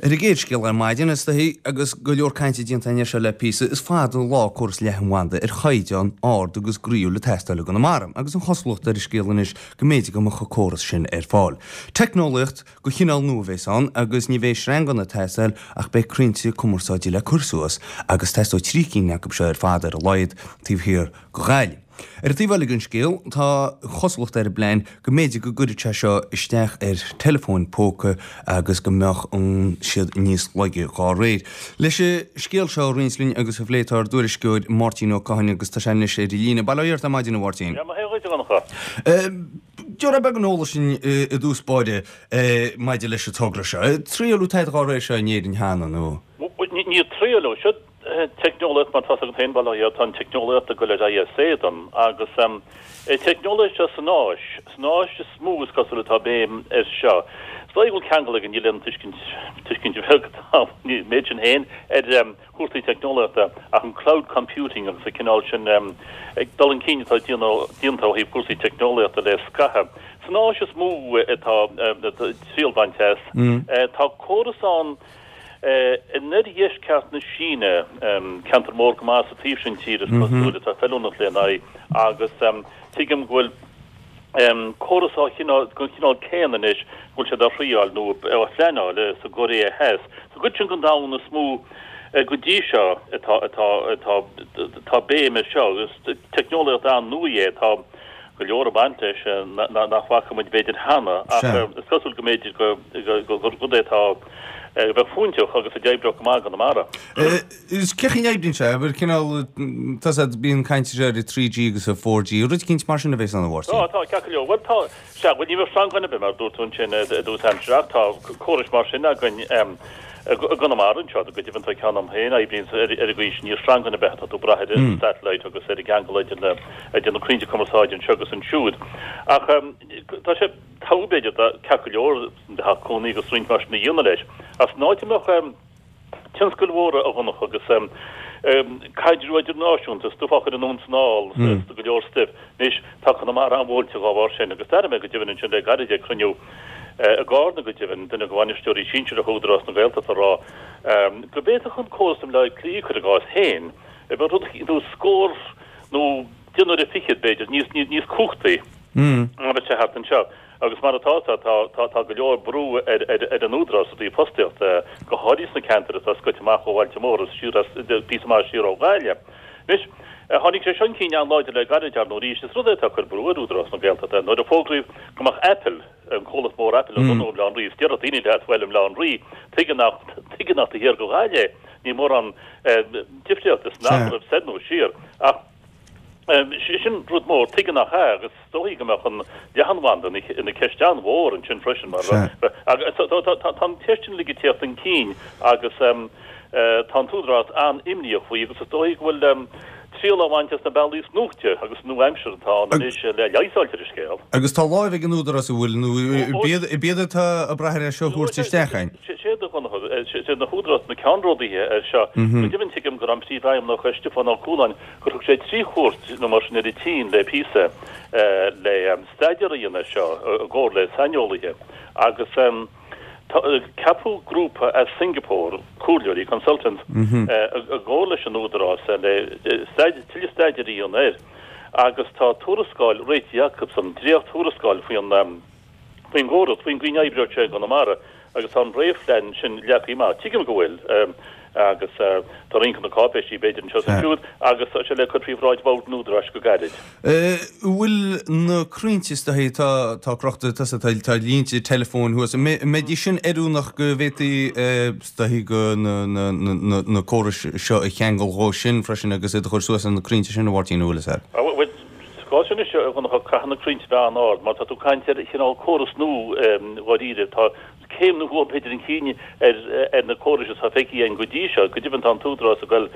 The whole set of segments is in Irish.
Ar an gcéad scéal ar maidin, is dóichí, agus go leor cainte déanta againn air seo le píosa, is fada an lá córas leathanbhanda ar chaighdeán ard agus groíúil ag teastáil i gConamara, agus an chosúlacht ar an scéal anois go mb'fhéidir go mbeadh an córas sin ar fáil. Teicneolaíocht de chineál nua a bheas ann agus ní bheidh sreanganna ag teastáil ach beidh crainnte cumarsáide le cur suas agus teastóidh 3 cinn acu seo ar fad ar a laghad taobh thiar de Ghaillimh. Ar an taobh eile den scéal, tá an chosúlacht ar an bplean go mb'fhéidir go gcuirfeadh sé seo isteach ar teileafóin póca agus go mbeadh siad níos laige dhá réir. Leis an scéal seo a roinnt linn agus a phlé tá ár dtuairisceoir Máirtín Ó Cadhain agus tá sé anois ar an líne. Bail ó Dhia ort ar maidin a Mháirtín. Dia mo shaol dhuit a Dhonncha. Tabhair beagán eolais dúinn i dtús báire maidir leis an togra seo. Triaileadh tada dhá réir seo in Éirinn cheana nó? Níor triaileadh. Seo teicneolaíocht, mar tá's agat féin, bail ó Dhia ort, tá an teicneolaíocht ag dul ar aghaidh as éadan agus teicneolaíocht seo san Áis, san Áis is mó is cosúil atá béim air seo. Is dóigh go bhfuil ceangal aige, níl aon tuiscint, tuiscint bheag atá an méid sin féin ar chúrsaí teicneolaíochta ach an cloud computing agus an cineál sin dul chun cinn atá déanta ó thaobh cúrsaí teicneolaíochta le scaitheamh. San Áis is mó atá triail bainte as. Tá córas ann In oirdheisceart na Síne, ceantar mór go maith sa taobh sin tíre is cosúil, atá feiliúnach lena aghaidh agus tuigim go bhfuil córas á chineál, den chineál céanna anois, go bhfuil siad á thriáil nó á phleanáil sa gCóiré Theas. Sa gcuid sin den domhan is mó go dtí seo atá, atá, atá, atá béim air seo agus teicneolaíocht an-nua é atá go leor ag baint leis nach bhfaca muid b'fhéidir cheana ach is cosúil go mb'fhéidir gur rud é atá a bheadh fóinteach agus a d'oibreodh go maith i gConamara. Is cén chaoi a n-oibríonn sé? Abair cineál, tá 's a'd, bíonn caint ar 3G agus 4G, rud eicínt mar sin a bheas ann a Mháirtín? Tá, tá, ceart go leor. Bhuel tá, sea, bhuel ní bheadh sreangán ar bith mar a dúirt tú ansin i dtús aimsire ach tá córais mar sin againn I gConamara anseo, go deimhin tá ceann agam féin, oibríonn ar an gcaoi sin, níl sreangán ar bith, tá tú ag brath ar an satellite agus ar an gceangal idir na idir na crainnte cumarsáide anseo agus ansiúd. Ach tá sé togha b'fhéidir do ceart go leor bheith cónaí agus roinnt mar sin a dhéanamh leis. Ach san áit a mbeadh tionscail mhóra a Dhonncha agus caidreamh idirnáisiúnta, stuif á chur anonn 's anall, go leor stuif. Anois, tá Conamara an-bhuailte dhá bharr sin, agus d'airigh mé go deimhin ansin le gairid ag cruinniú i gCarna, go deimhin, duine de bhainisteoirí sinsearacha Údarás na Gaeltachta ag rá go bhféadfadh an córas i mBleá Cliath, cuir i gcás, féin, a bheith rud nó scór nó deich n-uaire fichead, b'fhéidir, níos, níos cumhachtaí ná bheadh sé thart anseo. Agus mar atá, tá, tá, tá go leor brú ar, ar, ar an Údarás i dtaobh fostaíochta, go háirithe sna ceantair atá scoite amach ó bhailte móra, siar as, píosa maith siar ó Ghaillimh. Anois, tháinig sé seo chun cinn an-láidir le gairid, ar ndóigh, arís. Is rud é atá ag cur brú ar Údarás na Gaeltachta. Nuair a fógraíodh go mbeadh Apple, an comhlacht mór Apple, ag lonnú i mBaile Átha an Rí, is déarfadh daoine leat, bhuel, i mBaile Átha an Rí, tuige nach, tuige nach taobh thiar de Ghaillimh é? Níl mórán difríochta san am a raibh soir nó siar. Ach sin rud mór, tuige nach ea? Agus is dóichí go mbeadh an leathanbhanda ina ceist an-mhór ansin freisin mar agus tá an cheist sin uilig ag tíocht chun cinn agus tá an tÚdarás an-imníoch faoi agus is dóichí go bhfuil triail á bhaint as na bealaí is nuachte agus nua-aimseartha atá ann anois le leigheas a fháilt ar an scéal. Agus tá láimh ag an Údarás an bhfuil nó ab iad atá ag brath ar é seo a thabhairt isteach againn? Sé do Sé na hÚdarás na ceannródaithe ar seo. Go deimhin tuigim gur an Príomhfheidhmeannach Stiofán Ó Cualáin gur thug sé 3 chuairt nó mar sin ar an tSín le píosa le staidéar a dhéanamh air seo i gcomhar le saineolaithe agus ceapadh grúpa as Singapore, comhairleoirí, consultants, i gcomhar leis an Údarás le tuilleadh staidéir a dhéanamh air agus tá tuarascáil réitithe acusan, dréacht-thuarascáil faoin faoin gcóras, faoin gcaoi a n-oibreoidh sé i gConamara agus tá an réamhphlean sin leagtha amach. Tuigim go bhfuil agus tá roinnt de na cáipéisí b'fhéidir anseo is ansiúd agus tá sé le cur faoi bhráid Bhord an Údaráis go gairid. An bhfuil na crainnte is dóichí atá atá crochta tá tá línte teileafóin thuas, an mbeidís sin oiriúnach go bhféadfaí is dóichí go na na na na córais seo a cheangal dhó sin freisin agus iad a chur suas ar na crainnte sin a Mháirtín an bhfuil fhios a'd? Bhuel, Sa gcás sin anois, a Dhonncha, caithfidh na crainnte bheith an-ard, mar tá tú ag caint ar chineál córas nua dháiríre. Tá céim nua b'fhéidir chun cinn ar na córais atá feicthe againn go dtí seo. Go deimhin tá an tÚdarás ag goil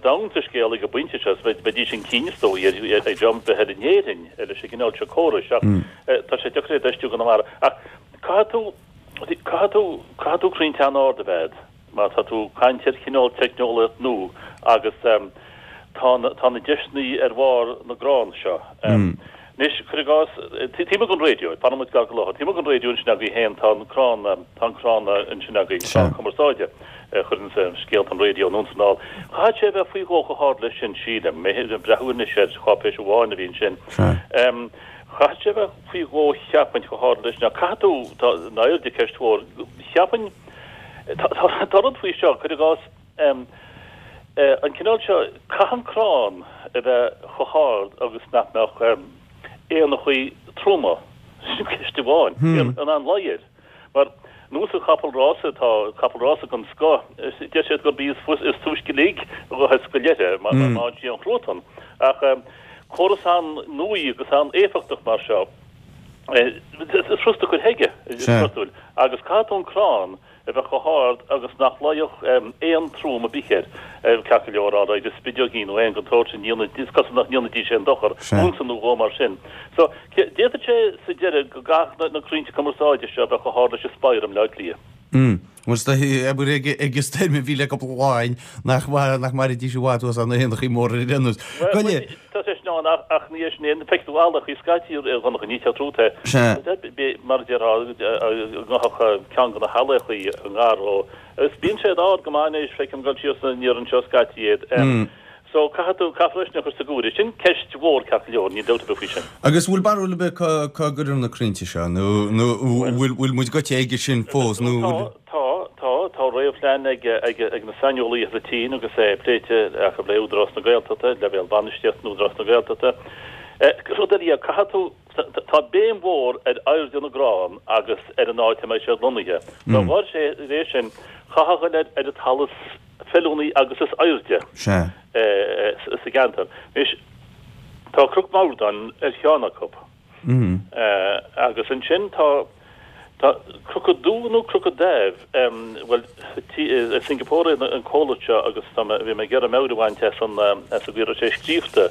domhain sa scéal ag an bpointe seo, is bheidís chun cinn is dóigh ar dhream ar bith eile in Éirinn leis an gcineál seo córais. Ach tá sé deacair é a fheistiú i gConamara. Ach caithfidh tú, caithfidh tú, caithfidh tú crainnte an-ard a bheith a'd. Mar tá tú ag caint ar chineál teicneolaíocht nua agus tá na tá na deiseanna ar bharr na gcrann seo. Anois, cuir i gcás, taobh amuigh den raidió, fanfaidh muid gar go láthair, taobh amuigh den raidió ansin agaibh féin, tá an crann, tá an crann ansin agaibh, crann cumarsáide, a chuireanns scéalta an raidió anonn 's anall. Chaithfeadh sé a bheith faoi dhó chomh hard leis sin, sílim. Mé ag breathnú anois ar cháipéis amháin a bhí ansin. Chaithfeadh sé a bheith faoi dhó cheapfainn chomh hard leis sin. Ach caithfidh tú, tá an airde ceist mhór, cheapfainn, tá rud faoi seo, cuir i gcás, an cineál seo, caithfidh an crann a bheith chomh hard agus nach mbeadh éanachaí troma, sin ceist amháin, in ann luí air. Mar nós an chapall rása, tá capall rása den scoth, deir siad gurb í is túisce lig a ghabhfas go leithe má fhaigheann sí an chruatan. Ach córas an-nuaí agus an-éifeachtach mar seo, is furasta cur chuige, is cosúil, agus caithfidh tú an crann a bheith chomh hard agus nach luífeadh éan trom ar bith air, ceart go leor, alright, is spideoigín nó éan den tsórt sin, is cosúil nach ndéanfaidís aon dochar, unsa nó dhó mar sin. So, d'fhéadfadh sé sa deireadh go gcaithfeadh na crainnte cumarsáide seo a bheith chomh hard leis an spire i mBleá Cliath. Mm. Bhuel, is dóigh, abair, ag an stoirm a bhí le cúpla lá againn, nach nach mairfidís i bhfad thuas ann na héanachaí móra ar aon nós. Bhuel, tá sé sin ann ach ach ní hé sin é, feicfidh tú ealachaí scaití a Dhonncha, ní teacht rút é. Sea. Mar a déarfá, go ngabhfadh ceann de na healachaí i ngar dhó. Agus bíonn siad ard go maith anois, feicim ag dul síos aniar anseo scaití iad. So, caithfidh tú, caithfear é sin a chur sa gcomhaireamh. Sin ceist mhór ceart go leor, níl dabht ar bith faoi sin. Agus bhfuil barúil ar bith cá cá gcuirfear na crainnte seo nó nó bhfuil bhfuil muid goite aige sin fós nó bhfuil. Tá, tá, tá réamhphlean ag ag ag na saineolaithe sa tSín agus é pléite acu le Údarás na Gaeltachta, leibhéal bainistíochta Údarás na Gaeltachta. Rud eile, caithfidh tú, tá béim mhór ar airde na gcrann agus ar an áit a mbeidh siad lonnaithe. Dá bharr sin, chaithfeá a dhul ar ar an talamh feiliúnaí agus is airde sa gceantar. Anois, tá Cnoc Mordáin ar cheann acu. Agus ansin tá tá Cnoc an Dú nó Cnoc an Daimh, bhuel, i Singapore é an comhlacht seo agus tá mé, bhí mé ag iarraidh meabhair a bhaint as an, as an gcaoi a raibh sé scríofa,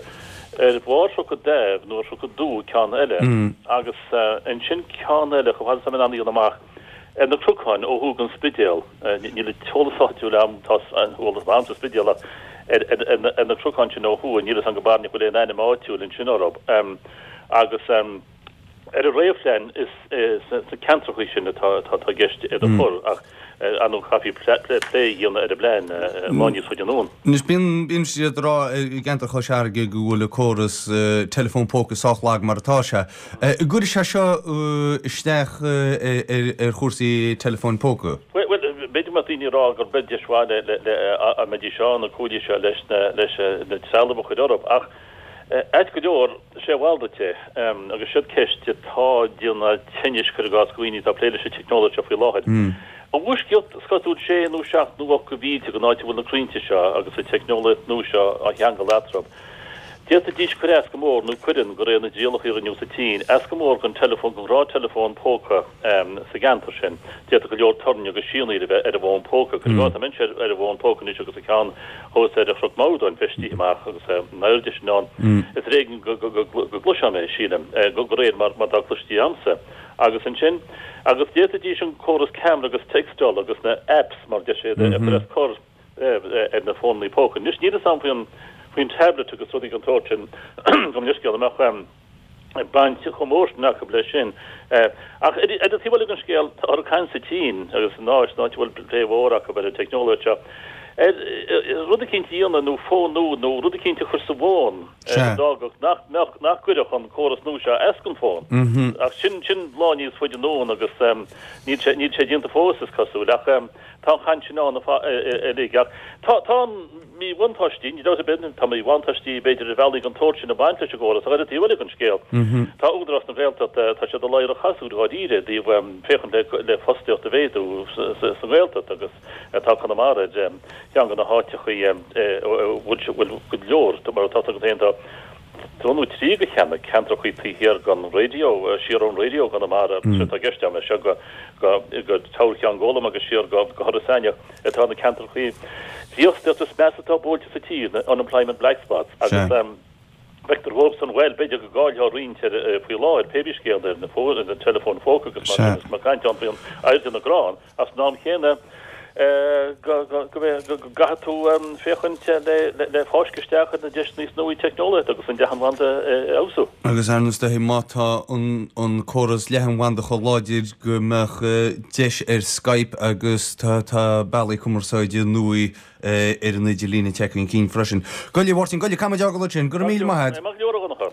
ar bharr Chnoc an Daimh nó ar Chnoc an Dú ceann eile. Agus ansin ceann eile, chomh fada is atá mé in ann a dhéanamh amach, Ar na cnocáin ó thuaidh den Spidéal, níl an t-eolas áitiúil agam, tá an t-eolas agam sa Spidéal ach ar na cnocáin sin ó thuaidh, níl fhios agam go barainneach bhfuil aon ainm áitiúil ansin orthu. Agus ar an réamhphlean is sna ceantrachaí sin atá i gceist iad a chur ach ar ndóigh caithfí plé a dhéanamh ar an bplean lá níos faide anonn. Anois bíonn, bíonn siad ag rá i gceantar Chois Fharraige go bhfuil an córas teileafón póca sách lag mar atá sé. An gcuirfidh sé seo isteach ar chúrsaí teileafóin póca? Bhuel, b'fhéidir go mbeadh daoine ag rá gurb é deis mhaith le, dá mbeidís ann, na cuaillí seo leis na, leis na trealamh a chur orthu. Ach ait go leor, sé a mhalrait é, agus siod ceist atá ag déanamh tinnis, cuir i gcás, do dhaoine atá ag plé leis an teicneolaíocht seo faoi láthair. I bhfoisceacht, is cosúil, sé nó seacht nó ocht de mhílte den áit a bhfuil na crainnte seo agus an teicneolaíocht nua seo á cheangal eatarthu. D'fhéadfaidís cur as go mór, nó cuireann, de réir na dtrialacha a rinneadh sa tSín, as go mór don teileafón, don ghnáth-teileafón póca sa gceantar sin. D'fhéadfadh go leor torainn agus sianaíl a bheith ar an bhfón póca. Cuir i gcás, tá mise ar an bhfón póca anois agus an ceann thuas ar Chnoc Mordáin feistithe amach agus an airde sin ann. Is ar éigean go gcloisfeá mé, sílim, de réir mar atá cloiste agamsa. Agus ansin, agus d'fhéadfaidís an córas ceamara agus téacstála agus na apps, mar a deir siad, a chur as cor. ar na fónannaí póca. Anois níl fhios agam faoin faoin tablet agus rudaí den tsórt sin, gabh mo leithscéal, an mbeadh baint chomh mór sin acu leis sin. Ach ar an taobh eile den scéal, tá ag caint sa tSín agus san Áis, san áit a bhfuil plé mhór acu ar an teicneolaíocht seo, ar rud eicínt a dhéanamh nó fón nua nó rud eicínt a chur sa bhfón a d'fhágfadh nach mbeadh, nach gcuirfeadh an córas nua seo as don bhfón. Ach sin, sin lá níos faide anonn agus níl sé, níl sé déanta fós is cosúil. Ach. Tá an chaint sin ann uilig ach tá tá míbhuntáistí, ní dabht ar bith, tá míbhuntáistí b'fhéidir ar bhealaí den tsórt sin ag baint leis an gcóras ach ar an taobh eile den scéal tá Údarás na Gaeltachta, tá siad i ladhar an chasúir dháiríre i dtaobh féachaint le le fostaíocht a mhéadú sa nGaeltacht agus tá Conamara ar cheann de na háiteachaí a bhfuil bhfuil go leor mar atá agat féin tá dó nó trí de cheanna, ceantrachaí taobh thiar den raidió, siar ón raidió i gConamara, sé atá i gceist agam é seo go go Teamhair Cheann Gólaim agus siar go go hIorras Aithneach atá na ceantrachaí dífhostaíochta is measa atá buailte sa tír, na unemployment black spots, agus feictear dhóibhsan, bhuel, b'fhéidir go gcaillfeá roinnt ar faoi láthair, pé bí scéal ar na fóin, ar na teileafóin phóca agus mar sin, is mar caint ann faoin airde na gcrann, ach san am chéanna. Go gcaithfidh tú féachaint le fáisceadh isteach ar na deiseanna is nuaí teicneolaíochta agus an leathanbhanda a fheabhsú. Agus ar ndóigh má tá an córas leathanbhanda chomh láidir go mbeadh deis ar Skype agus tá bealaí cumarsáide nua ar an idirlíon ag teacht chun cinn freisin. Go leor, a Mháirtín, go leor, caithfidh muid a fhágáil ansin. Go raibh míle maith agat. Maith go leor, a Dhonncha.